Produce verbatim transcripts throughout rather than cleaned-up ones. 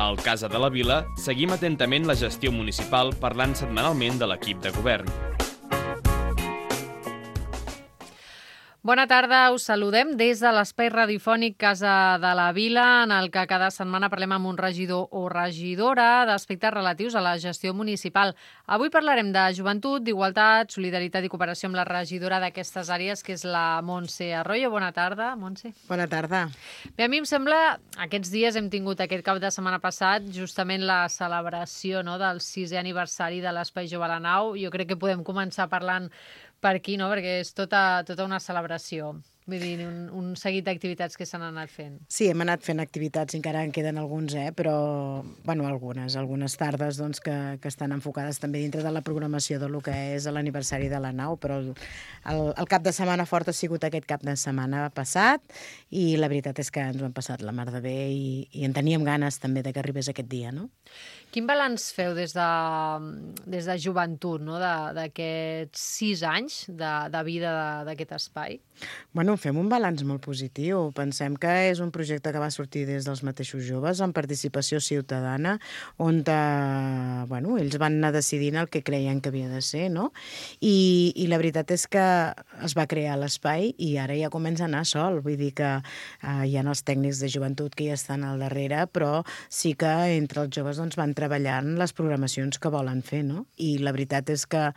Al Casa de la Vila seguim atentament la gestió municipal parlant setmanalment de l'equip de govern. Bona tarda, us saludem des de l'espai radiofònic Casa de la Vila, en el que cada setmana parlem amb un regidor o regidora d'aspectes relatius a la gestió municipal. Avui parlarem de joventut, d'igualtat, solidaritat i cooperació amb la regidora d'aquestes àrees, que és la Montse Arroyo. Bona tarda, Montse. Bona tarda. Bé, a mi em sembla, aquests dies hem tingut aquest cap de setmana passat justament la celebració, no?, del sisè aniversari de l'Espai Jove a la Nau. Jo crec que podem començar parlant per aquí, no?, perquè és tota, tota una celebració. Vull dir, un, un seguit d'activitats que s'han anat fent. Sí, hem anat fent activitats, encara en queden alguns, eh? Però, bueno, algunes, algunes tardes doncs, que, que estan enfocades també dintre de la programació del que és l'aniversari de la nau, però el, el, el cap de setmana fort ha sigut aquest cap de setmana passat i la veritat és que ens ho hem passat la mar de bé i, i en teníem ganes també de que arribés aquest dia, no? Quin balanç feu des de, des de joventut, no?, d'aquests sis anys de, de vida d'aquest espai? Bueno, fem un balanç molt positiu. Pensem que és un projecte que va sortir des dels mateixos joves, amb participació ciutadana, on eh, bueno, ells van anar decidint el que creien que havia de ser, no? I, i la veritat és que es va crear l'espai i ara ja comença a anar sol. Vull dir que eh, hi ha els tècnics de joventut que ja estan al darrere, però sí que entre els joves doncs, van treballant les programacions que volen fer, no? I la veritat és que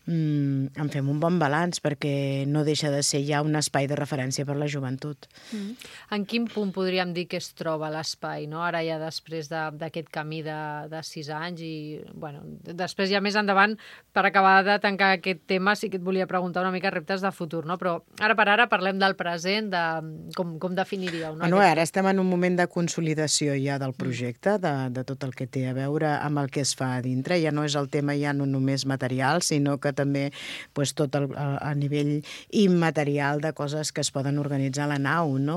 Mm, en fem un bon balanç perquè no deixa de ser ja un espai de referència per la joventut. Mm. En quin punt podríem dir que es troba l'espai, no? Ara ja després d'aquest camí de, de sis anys i, bueno, després ja més endavant, per acabar de tancar aquest tema, sí que et volia preguntar una mica reptes de futur, no? Però ara per ara parlem del present, de com, com definiríeu, no? Bueno, ara estem en un moment de consolidació ja del projecte, de, de tot el que té a veure amb el que es fa a dintre. Ja no és el tema ja no només material, sinó que també pues, tot el, a, a nivell immaterial de coses que es poden organitzar a la nau, no?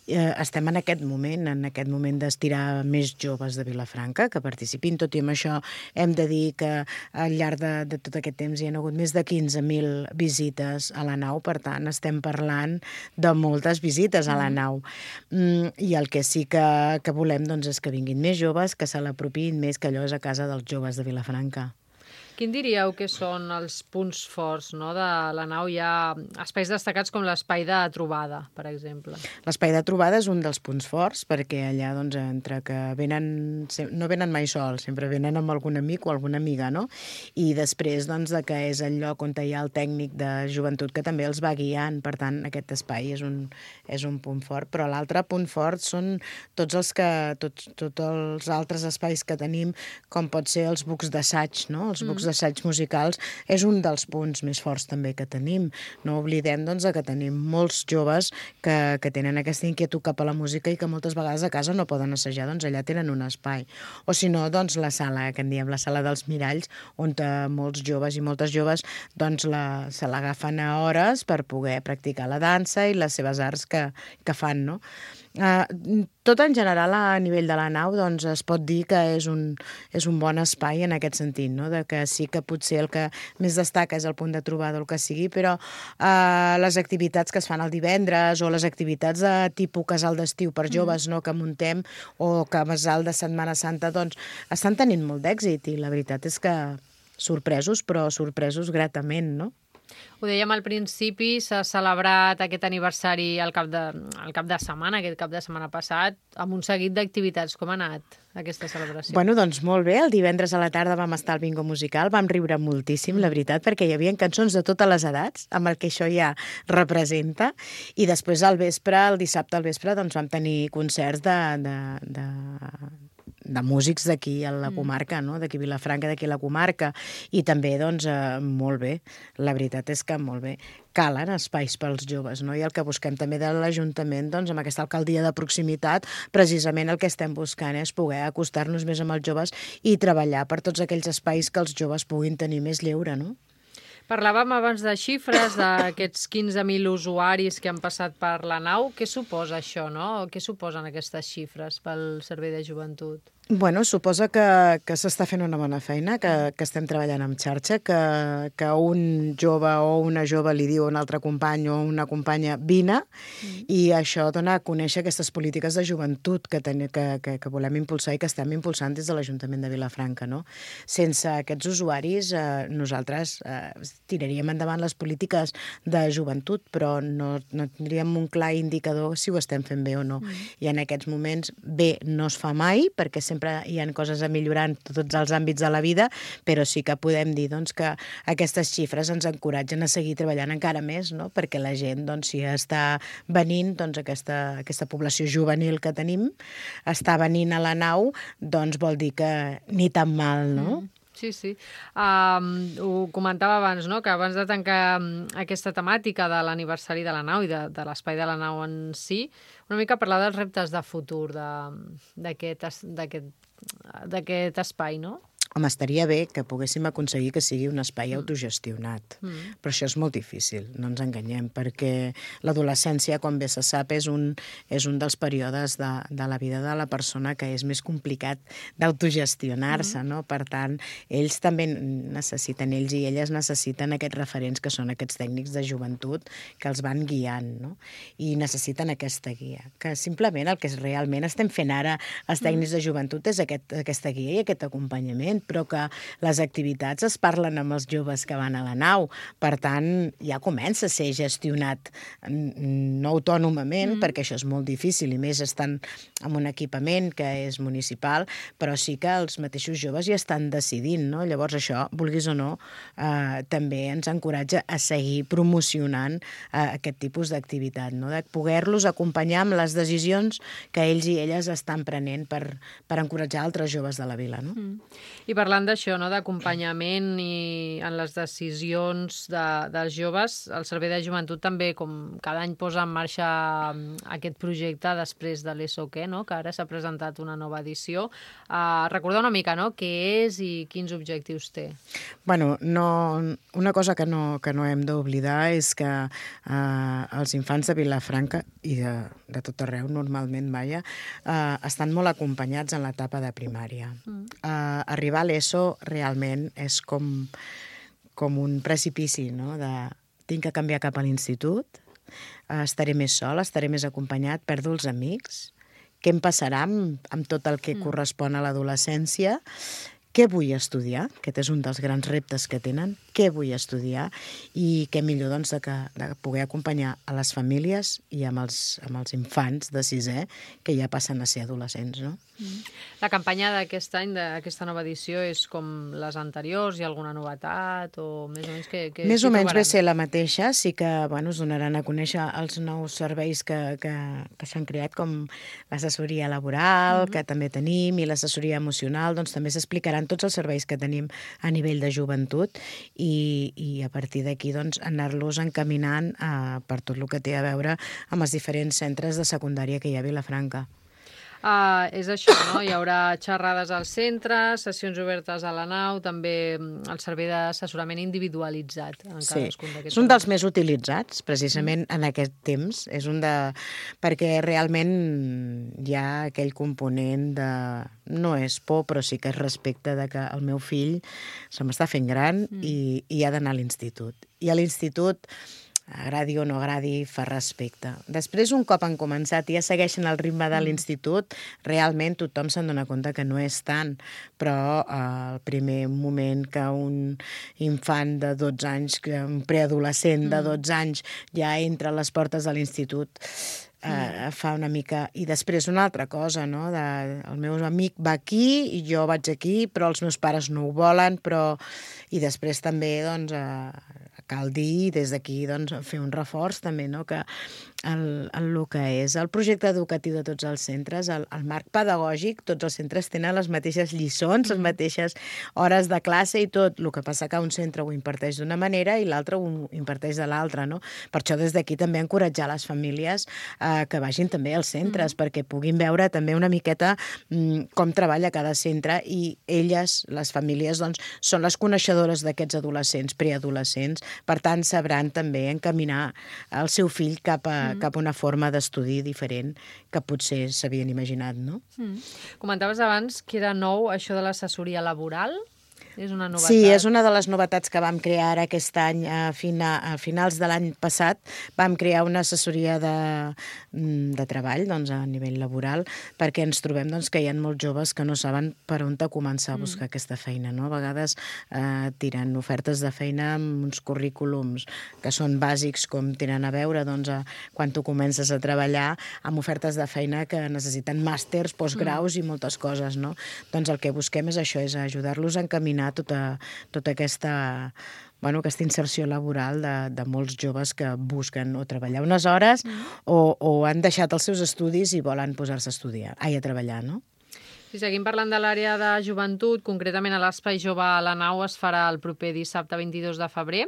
Eh, estem en aquest moment, en aquest moment d'estirar més joves de Vilafranca que participin, tot i amb això hem de dir que al llarg de, de tot aquest temps hi ha hagut més de quinze mil visites a la nau, per tant estem parlant de moltes visites a la nau. Mm, I el que sí que, que volem doncs, és que vinguin més joves, que se l'apropin més, que allò és a casa dels joves de Vilafranca. Quin diríeu que són els punts forts, no, de la nau? Hi ha espais destacats com l'espai de trobada, per exemple. L'espai de trobada és un dels punts forts, perquè allà, doncs, entre que venen, no venen mai sols, sempre venen amb algun amic o alguna amiga, no? I després, doncs, de que és el lloc on hi ha el tècnic de joventut que també els va guiant. Per tant, aquest espai és un, és un punt fort. Però l'altre punt fort són tots els que, tots, tots els altres espais que tenim, com pot ser els bucs d'assaig, no? Els bucs d'assaig musicals és un dels punts més forts també que tenim. No oblidem doncs, que tenim molts joves que, que tenen aquesta inquietud cap a la música i que moltes vegades a casa no poden assajar, doncs allà tenen un espai. O si no, doncs la sala, que en diem la sala dels miralls, on molts joves i moltes joves doncs la, se l'agafen a hores per poder practicar la dansa i les seves arts que, que fan, no? Uh, tot en general a nivell de la nau doncs es pot dir que és un, és un bon espai en aquest sentit, no? De que sí que potser el que més destaca és el punt de trobada o el que sigui, però uh, les activitats que es fan el divendres o les activitats de tipus casal d'estiu per joves, no, que muntem, o casal de Setmana Santa, doncs estan tenint molt d'èxit i la veritat és que sorpresos, però sorpresos gratament, no? Ho dèiem al principi, s'ha celebrat aquest aniversari al cap de, al cap de setmana, aquest cap de setmana passat, amb un seguit d'activitats. Com ha anat aquesta celebració? Bueno, doncs molt bé. El divendres a la tarda vam estar al bingo musical, vam riure moltíssim, la veritat, perquè hi havia cançons de totes les edats, amb el que això ja representa, i després al vespre, el dissabte al vespre, doncs vam tenir concerts de... de, de de músics d'aquí a la comarca, no? D'aquí Vilafranca, d'aquí a la comarca, i també, doncs, eh, molt bé. La veritat és que molt bé. Calen espais pels joves, no? I el que busquem també de l'Ajuntament, doncs, amb aquesta alcaldia de proximitat, precisament el que estem buscant és poder acostar-nos més amb els joves i treballar per tots aquells espais que els joves puguin tenir més lleure, no? Parlàvem abans de xifres, d'aquests quinze mil usuaris que han passat per la nau. Què suposa això, no? Què suposen aquestes xifres pel Servei de Joventut? Bueno, suposa que, que s'està fent una bona feina, que, que estem treballant en xarxa, que, que un jove o una jove li diu a un altre company o una companya vine, mm. i això dona a conèixer aquestes polítiques de joventut que, ten, que, que, que volem impulsar i que estem impulsant des de l'Ajuntament de Vilafranca. No? Sense aquests usuaris, eh, nosaltres eh, tiraríem endavant les polítiques de joventut, però no, no tindríem un clar indicador si ho estem fent bé o no. Mm. I en aquests moments bé no es fa mai, perquè sempre hi ha coses a millorar en tots els àmbits de la vida, però sí que podem dir doncs, que aquestes xifres ens encoratgen a seguir treballant encara més, no? Perquè la gent, doncs, si està venint, doncs, aquesta, aquesta població juvenil que tenim, està venint a la nau, doncs vol dir que ni tan mal, no? Mm. Sí, sí. Um, ho comentava abans, no?, que abans de tancar aquesta temàtica de l'aniversari de la nau i de, de l'espai de la nau en si, una mica parlar dels reptes de futur d'aquest espai, no? Home, estaria bé que poguéssim aconseguir que sigui un espai mm. autogestionat, mm. però això és molt difícil, no ens enganyem, perquè l'adolescència, com bé se sap, és un, és un dels períodes de, de la vida de la persona que és més complicat d'autogestionar-se, mm. no? Per tant, ells també necessiten, ells i elles necessiten aquests referents que són aquests tècnics de joventut que els van guiant, no? I necessiten aquesta guia, que simplement el que realment estem fent ara els tècnics mm. de joventut és aquest, aquesta guia i aquest acompanyament, però que les activitats es parlen amb els joves que van a la nau. Per tant, ja comença a ser gestionat no autònomament, mm. perquè això és molt difícil, i més estan en un equipament que és municipal, però sí que els mateixos joves ja estan decidint, no? Llavors això, vulguis o no, eh, també ens encoratja a seguir promocionant eh, aquest tipus d'activitat, no? De poder-los acompanyar amb les decisions que ells i elles estan prenent per, per encoratjar altres joves de la vila, no? Mm. I parlant d'això, no?, d'acompanyament i en les decisions de, dels joves, el Servei de Joventut també, com cada any, posa en marxa aquest projecte després de l'E S O Q E, no?, que ara s'ha presentat una nova edició. Uh, recordar una mica, no?, què és i quins objectius té. Bueno, no, una cosa que no, que no hem d'oblidar és que uh, els infants de Vilafranca i de, de tot arreu, normalment, vaja, uh, estan molt acompanyats en l'etapa de primària. Mm. Uh, arribar a l'E S O realment és com, com un precipici, no? De, tinc que canviar cap a l'institut, estaré més sol, estaré més acompanyat, perdo els amics, què em passarà amb, amb tot el que mm. correspon a l'adolescència, què vull estudiar, aquest és un dels grans reptes que tenen, què vull estudiar, i què millor doncs, de, que, de poder acompanyar a les famílies i amb els, amb els infants de sisè que ja passen a ser adolescents, no? Mm. La campanya d'aquest any, d'aquesta nova edició, és com les anteriors? Hi ha alguna novetat? O més o menys que, que més o menys ve ser la mateixa, sí que bueno, es donaran a conèixer els nous serveis que, que, que s'han creat, com l'assessoria laboral, mm-hmm. que també tenim, i l'assessoria emocional, doncs també s'explicaran tots els serveis que tenim a nivell de joventut, i, i a partir d'aquí doncs, anar-los encaminant a, per tot el que té a veure amb els diferents centres de secundària que hi ha a Vilafranca. Uh, és això, no? Hi haurà xerrades al centre, sessions obertes a la nau, també el servei d'assessorament individualitzat en cadascun d'aquests. És un dels més utilitzats, precisament, mm. en aquest temps. És un de... perquè realment hi ha aquell component de... no és por, però sí que és respecte de que el meu fill se m'està fent gran mm. i, i ha d'anar a l'institut. I a l'institut, agradi o no agradi, fa respecte. Després, un cop han començat i ja segueixen el ritme de l'institut, realment tothom se'n dona compte que no és tant, però eh, el primer moment que un infant de dotze anys, un preadolescent de dotze anys, ja entra a les portes de l'institut, eh, fa una mica... I després una altra cosa, no? De, el meu amic va aquí i jo vaig aquí, però els meus pares no ho volen, però... I després també, doncs... Eh, cal dir, des d'aquí, doncs, fer un reforç també, no? Que el, el, el que és el projecte educatiu de tots els centres, el, el marc pedagògic, tots els centres tenen les mateixes lliçons, les mateixes hores de classe i tot. El que passa que un centre ho imparteix d'una manera i l'altre ho imparteix de l'altra, no? Per això des d'aquí també encoratjar les famílies eh, que vagin també als centres, mm. perquè puguin veure també una miqueta mm, com treballa cada centre, i elles, les famílies, doncs, són les coneixedores d'aquests adolescents, preadolescents, per tant sabran també encaminar el seu fill cap a, mm. cap a una forma d'estudi diferent que potser s'havien imaginat, no? Mm. Comentaves abans que era nou això de l'assessoria laboral. És una novetat. Sí, és una de les novetats que vam crear ara aquest any, a, fina, a finals de l'any passat. Vam crear una assessoria de, de treball, doncs, a nivell laboral, perquè ens trobem doncs, que hi ha molts joves que no saben per on començar a buscar mm. aquesta feina, no? A vegades eh, tiren ofertes de feina amb uns currículums que són bàsics, com tenen a veure doncs, a, quan tu comences a treballar, amb ofertes de feina que necessiten màsters, postgraus mm. i moltes coses, no? Doncs el que busquem és això, és ajudar-los a encaminar tota, tota aquesta, bueno, aquesta inserció laboral de, de molts joves que busquen o treballar unes hores mm. o, o han deixat els seus estudis i volen posar-se a estudiar, ai, a treballar, no? Si seguim parlant de l'àrea de joventut, concretament a l'Espai Jove a la Nau es farà el proper dissabte vint-i-dos de febrer,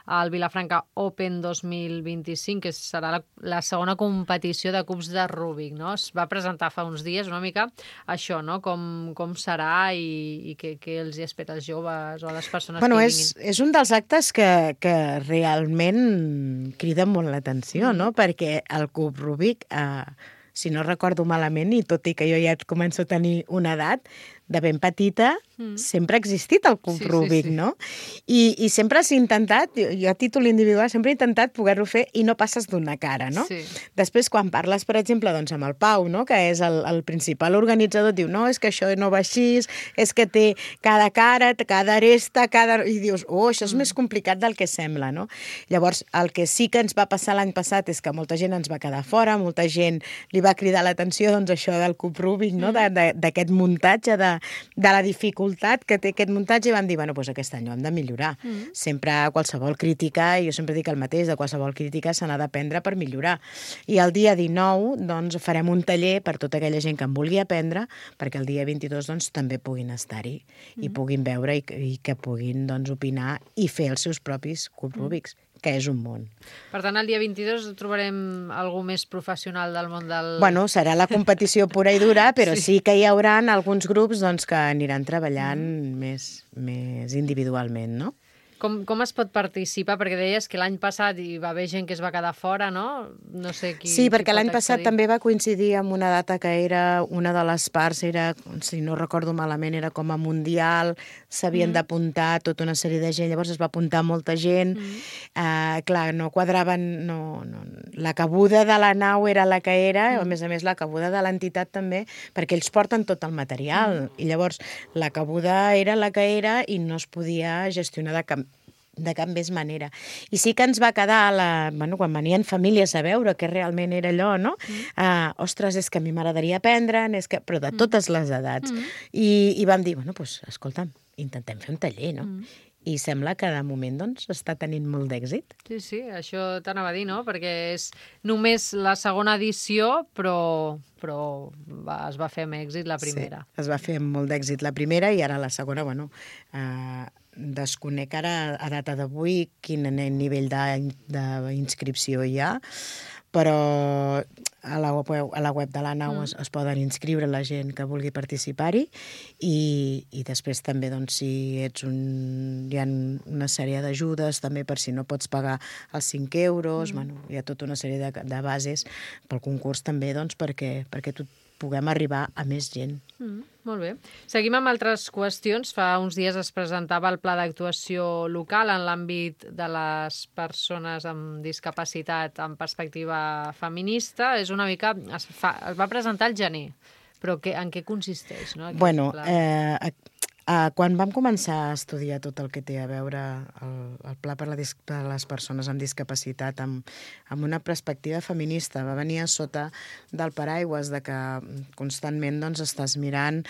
al Vilafranca Open dos mil vint-i-cinc, que serà la, la segona competició de cubs de Rubik, no? Es va presentar fa uns dies una mica això, no? Com, com serà i, i què, què els hi espera als joves o a les persones bueno, que hi és, vinguin. És un dels actes que, que realment crida molt l'atenció, mm. no? Perquè el cub Rubik... Eh, si no recordo malament, i tot i que jo ja començo a tenir una edat, de ben petita, mm. sempre ha existit el cub sí, Rubik, sí, sí. no? I, I sempre s'ha intentat, jo, jo a títol individual, sempre he intentat poder-ho fer i no passes d'una cara, no? Sí. Després, quan parles, per exemple, doncs, amb el Pau, no? Que és el, el principal organitzador, diu, no, és que això no va així, és que té cada cara, cada aresta, cada... I dius, oh, això és mm. més complicat del que sembla, no? Llavors, el que sí que ens va passar l'any passat és que molta gent ens va quedar fora, molta gent li va cridar l'atenció, doncs, això del cub Rubik, no? Mm. D'aquest muntatge, de de la dificultat que té aquest muntatge, i vam dir, bueno, doncs aquest any ho hem de millorar. Mm. Sempre qualsevol crítica, i jo sempre dic el mateix, de qualsevol crítica se n'ha d'aprendre per millorar. I el dia dinou, doncs, farem un taller per tota aquella gent que en vulgui aprendre, perquè el dia vint-i-dos, doncs, també puguin estar-hi mm. i puguin veure i, i que puguin, doncs, opinar i fer els seus propis cubs mm. Rubiks, que és un món. Per tant, el dia vint-i-dos trobarem algú més professional del món del... Bueno, serà la competició pura i dura, però sí, sí que hi haurà alguns grups doncs, que aniran treballant mm. més, més individualment, no? Com, com es pot participar? Perquè deies que l'any passat hi va haver gent que es va quedar fora, no? No sé qui... Sí, perquè qui l'any passat també va coincidir amb una data que era, una de les parts era, si no recordo malament, era com a mundial, s'havien mm. d'apuntar tota una sèrie de gent, llavors es va apuntar molta gent, mm. eh, clar, no quadraven, no, no, la cabuda de la nau era la que era, mm. a més a més la cabuda de l'entitat també, perquè ells porten tot el material, mm. i llavors la cabuda era la que era i no es podia gestionar de cap de cap més manera. I sí que ens va quedar, la, bueno, quan venien famílies a veure què realment era allò, no? Mm. Uh, ostres, és que a mi m'agradaria aprendre, és que... però de totes les edats. Mm. I, I vam dir, bueno, doncs, escolta'm, intentem fer un taller, no? Mm. I sembla que de moment doncs, està tenint molt d'èxit. Sí, sí, això t'anava a dir, no? Perquè és només la segona edició, però, però va, es va fer amb èxit la primera. Sí, es va fer amb molt d'èxit la primera i ara la segona, bueno... Uh, desconec ara a data d'avui quin nivell d'inscripció hi ha, però a la web, a la web de la nau mm. es, es poden inscriure la gent que vulgui participar-hi i, i després també doncs, si ets un, hi ha una sèrie d'ajudes també per si no pots pagar els cinc euros, mm. bueno, hi ha tota una sèrie de, de bases pel concurs també doncs, perquè, perquè tu puguem arribar a més gent. Mm, molt bé. Seguim amb altres qüestions. Fa uns dies es presentava el pla d'actuació local en l'àmbit de les persones amb discapacitat en perspectiva feminista. És una mica... Es, fa, es va presentar al gener, però que, en què consisteix? No, bueno, eh, Uh, quan vam començar a estudiar tot el que té a veure el, el pla per, la dis per les persones amb discapacitat amb, amb una perspectiva feminista, va venir a sota del paraigües de que constantment doncs, estàs mirant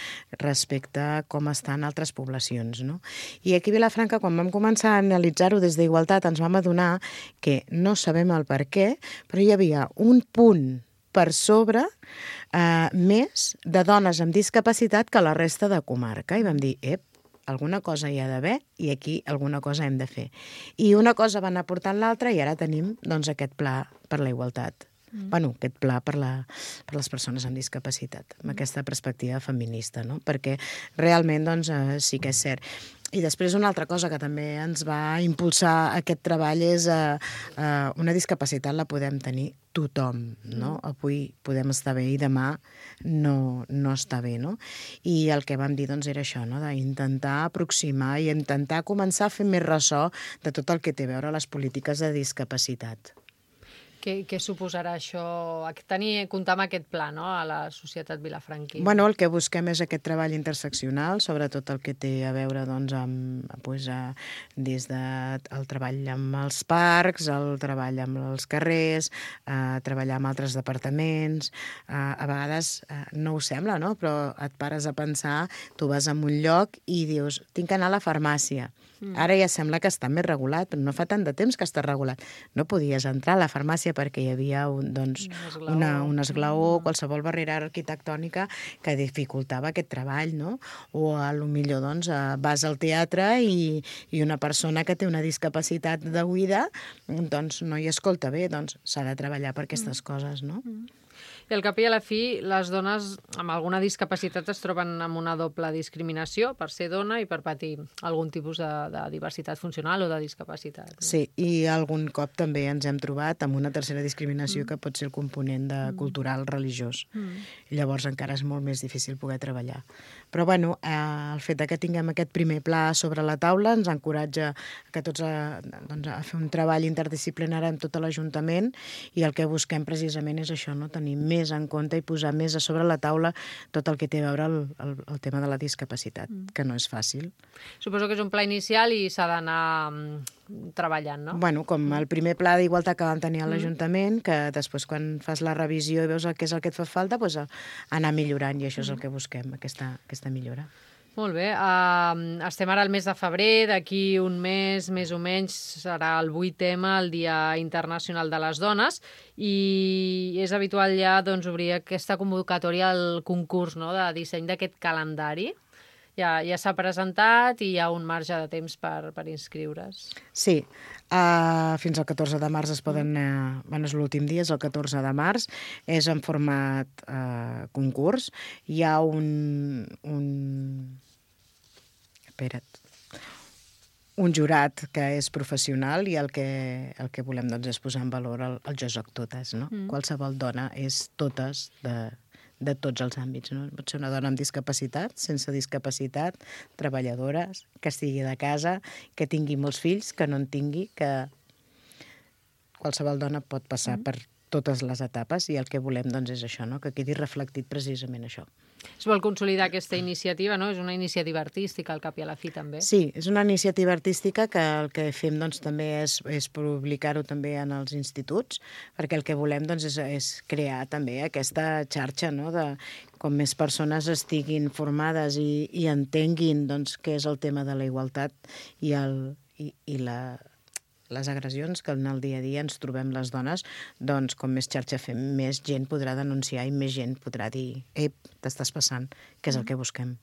respecte a com estan altres poblacions. No? I aquí a Vilafranca, quan vam començar a analitzar-ho des d'Igualtat, ens vam adonar que no sabem el per què, però hi havia un punt per sobre eh, més de dones amb discapacitat que la resta de comarca. I vam dir, ep, alguna cosa hi ha d'haver i aquí alguna cosa hem de fer. I una cosa va anar portant l'altra i ara tenim doncs, aquest pla per la igualtat. Mm. Bueno, aquest pla per, la, per les persones amb discapacitat, amb aquesta perspectiva feminista, no? Perquè realment doncs, eh, sí que és cert. I després una altra cosa que també ens va impulsar aquest treball és eh, eh, una discapacitat la podem tenir tothom, no? Mm. Avui podem estar bé i demà no, no està bé, no? I el que vam dir doncs, era això, no? D'intentar aproximar i intentar començar a fer més ressò de tot el que té a veure les polítiques de discapacitat. Què, què suposarà això, tenir, comptar amb aquest pla, no?, a la societat vilafranquina? Bueno, el que busquem és aquest treball interseccional, sobretot el que té a veure doncs, amb, doncs, a, des del treball amb els parcs, el treball amb els carrers, a treballar amb altres departaments. A, a vegades a, no ho sembla, no?, però et pares a pensar, tu vas a un lloc i dius, tinc que anar a la farmàcia. Mm. Ara ja sembla que està més regulat, però no fa tant de temps que està regulat. No podies entrar a la farmàcia perquè hi havia un, doncs, un esglaó, una, un esglaó mm. qualsevol barrera arquitectònica que dificultava aquest treball, no? O a lo millor doncs, vas al teatre i, i una persona que té una discapacitat d'oïda doncs, no hi escolta bé, doncs s'ha de treballar per aquestes mm. coses, no? Mm. I al cap i a la fi, les dones amb alguna discapacitat es troben amb una doble discriminació per ser dona i per patir algun tipus de, de diversitat funcional o de discapacitat. No? Sí, i algun cop també ens hem trobat amb una tercera discriminació mm. que pot ser el component de mm. cultural religiós. Mm. I llavors encara és molt més difícil poder treballar. Però bueno, eh, el fet que tinguem aquest primer pla sobre la taula ens encoratja que tots a, doncs, a fer un treball interdisciplinari amb tot l'Ajuntament i el que busquem precisament és això, no? Tenir més en compte i posar més a sobre la taula tot el que té a veure el, el, el tema de la discapacitat, mm. que no és fàcil. Suposo que és un pla inicial i s'ha d'anar treballant, no? Bueno, com el primer pla d'igualtat que vam tenir a l'Ajuntament, que després quan fas la revisió i veus el que és el que et fa falta, doncs anar millorant, i això és el que busquem, aquesta, aquesta millora. Molt bé. Uh, estem ara al mes de febrer, d'aquí un mes, més o menys, serà el vuit tema, el Dia Internacional de les Dones, i és habitual ja doncs, obrir aquesta convocatòria al concurs, no?, de disseny d'aquest calendari. Ja, ja s'ha presentat i hi ha un marge de temps per, per inscriure's. Sí, uh, fins al catorze de març es poden... Uh, bueno, és l'últim dia, és el catorze de març, és en format uh, concurs. Hi ha un... un... Espera't. Un jurat que és professional i el que, el que volem doncs, és posar en valor el, el jo soc totes. No? Mm. Qualsevol dona és totes de... de tots els àmbits. No? Pot ser una dona amb discapacitat, sense discapacitat, treballadores, que estigui de casa, que tingui molts fills, que no en tingui, que qualsevol dona pot passar mm. per totes les etapes i el que volem doncs, és això, no? Que quedi reflectit precisament això. Es vol consolidar aquesta iniciativa, no? És una iniciativa artística al cap i a la fi també. Sí, és una iniciativa artística que el que fem doncs, també és, és publicar-ho també en els instituts, perquè el que volem doncs, és, és crear també aquesta xarxa, no? De com més persones estiguin formades i, i entenguin doncs, què és el tema de la igualtat i, el, i, i la les agressions que en el dia a dia ens trobem les dones, doncs com més xarxa fem, més gent podrà denunciar i més gent podrà dir «Ep, t'estàs passant», que és el que busquem.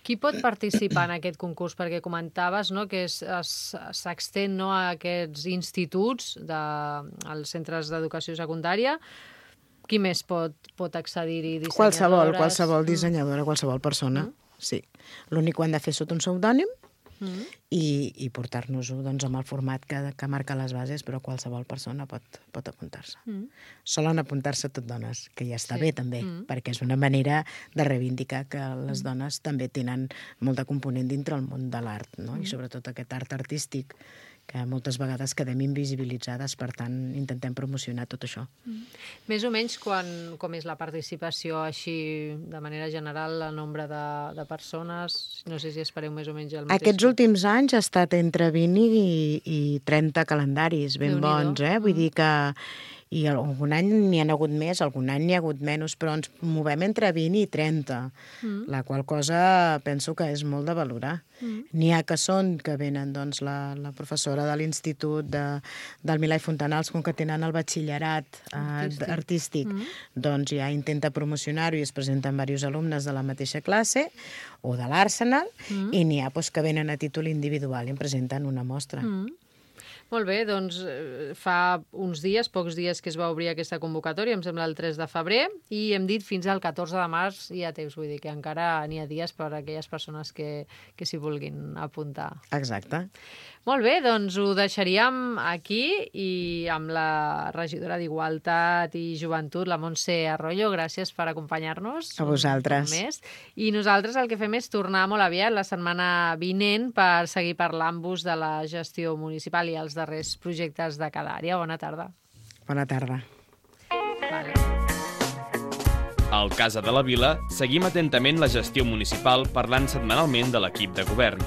Qui pot participar en aquest concurs? Perquè comentaves, no, que s'extén, no, a aquests instituts, de, als centres d'educació secundària. Qui més pot, pot accedir-hi? Qualsevol, qualsevol dissenyadora, qualsevol persona, mm. sí. L'únic que ho han de fer sota un pseudònim, Mm. i, i portar-nos-ho doncs, amb el format que, que marca les bases, però qualsevol persona pot, pot apuntar-se. Mm. Solen apuntar-se tot dones, que ja està sí. bé també, mm. perquè és una manera de reivindicar que les mm. dones també tenen molt de component dintre el món de l'art, no? Mm. I sobretot aquest art artístic que moltes vegades quedem invisibilitzades, per tant, intentem promocionar tot això. Mm. Més o menys quan, com és la participació així, de manera general, el nombre de, de persones? No sé si espereu més o menys el mateix. Aquests últims anys ha estat entre vint i, i trenta calendaris ben bons, eh? Vull dir que i algun any n'hi ha hagut més, algun any n'hi ha hagut menys, però ens movem entre vint i trenta, mm. la qual cosa penso que és molt de valorar. Mm. N'hi ha que són, que venen doncs, la, la professora de l'Institut de, del Milà i Fontanals, com que tenen el batxillerat artístic, eh, artístic mm. doncs ja intenta promocionar-ho i es presenten diversos alumnes de la mateixa classe o de l'Arsenal, mm. i n'hi ha doncs, que venen a títol individual i en presenten una mostra. Mm. Molt bé, doncs fa uns dies, pocs dies que es va obrir aquesta convocatòria, em sembla el tres de febrer, i hem dit fins al catorze de març hi ha temps, vull dir que encara n'hi ha dies per a aquelles persones que, que s'hi vulguin apuntar. Exacte. Molt bé, doncs ho deixaríem aquí i amb la regidora d'Igualtat i Joventut, la Montse Arroyo, gràcies per acompanyar-nos. A vosaltres. Més. I nosaltres el que fem és tornar molt aviat, la setmana vinent, per seguir parlant-vos de la gestió municipal i els darrers projectes de cada àrea. Bona tarda. Bona tarda. Vale. Al Casa de la Vila seguim atentament la gestió municipal parlant setmanalment de l'equip de govern.